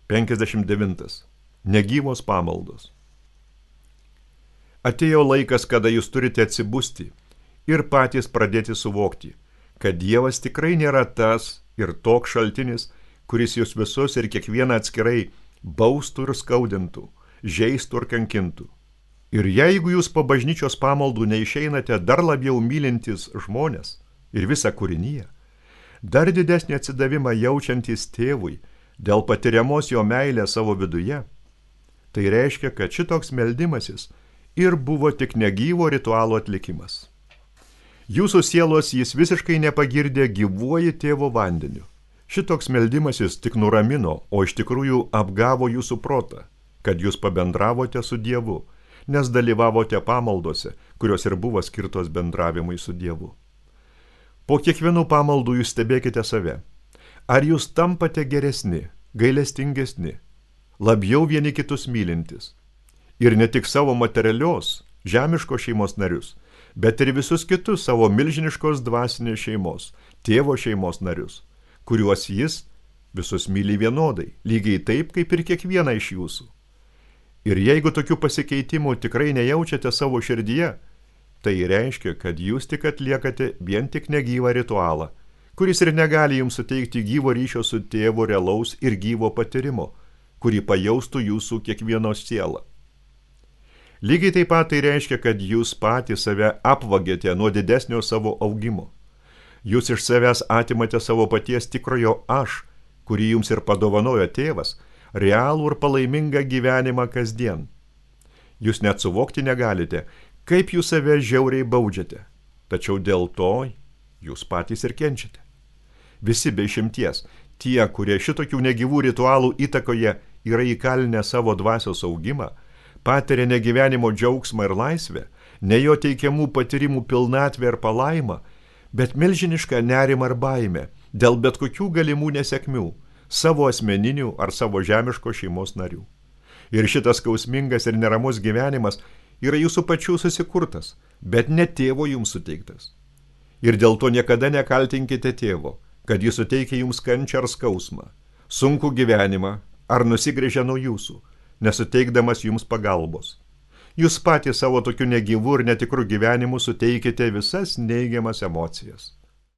59. Negyvos pamaldos. Atėjo laikas, kada jūs turite atsibusti ir patys pradėti suvokti, kad Dievas tikrai nėra tas ir toks šaltinis, kuris jūs visus ir kiekvieną atskirai baustų ir skaudintų, žeistų ir kankintų. Ir jeigu jūs po bažnyčios pamaldų neišeinate dar labiau mylintis žmonės ir visą kūriniją, dar didesnį atsidavimą jaučiantis tėvui dėl patiriamos jo meilės savo viduje, tai reiškia, kad šitoks meldimasis ir buvo tik negyvo ritualo atlikimas. Jūsų sielos jis visiškai nepagirdė gyvuoji tėvo vandeniu. Šitoks meldimasis tik nuramino, o iš tikrųjų apgavo jūsų protą, kad jūs pabendravote su Dievu, nes dalyvavote pamaldose, kurios ir buvo skirtos bendravimui su Dievu. Po kiekvienų pamaldų jūs stebėkite save. Ar jūs tampate geresni, gailestingesni, labiau vieni kitus mylintis? Ir ne tik savo materialios, žemiškos šeimos narius, bet ir visus kitus savo milžiniškos dvasinės šeimos, tėvo šeimos narius, kuriuos jis visus myli vienodai, lygiai taip, kaip ir kiekvieną iš jūsų. Ir jeigu tokių pasikeitimų tikrai nejaučiate savo širdyje, tai reiškia, kad jūs tik atliekate vien tik negyvą ritualą, kuris ir negali jums suteikti gyvo ryšio su tėvu realaus ir gyvo patyrimo, kurį pajaustų jūsų kiekvieno siela. Lygiai taip pat tai reiškia, kad jūs patys save apvagėte nuo didesnio savo augimo. Jūs iš savęs atimate savo paties tikrojo aš, kurį jums ir padovanojo tėvas, realų ir palaimingą gyvenimą kasdien. Jūs net suvokti negalite, kaip jūs save žiauriai baudžiate, tačiau dėl to jūs patys ir kenčiate. Visi be išimties, tie, kurie šitokių negyvų ritualų įtakoje yra įkalinę savo dvasios augimą, patiria ne gyvenimo džiaugsmą ir laisvę, ne jo teikiamų patyrimų pilnatvę ir palaimą, bet milžinišką nerimą ir baimę dėl bet kokių galimų nesėkmių, savo asmeninių ar savo žemiško šeimos narių. Ir šitas skausmingas ir neramus gyvenimas yra jūsų pačių susikurtas, bet ne tėvo jums suteiktas. Ir dėl to niekada nekaltinkite tėvo, kad jis suteikia jums kančią ar skausmą, sunkų gyvenimą ar nusigręžia nuo jūsų, nesuteikdamas jums pagalbos. Jūs patys savo tokiu negyvu ir netikru gyvenimu suteikite visas neigiamas emocijas.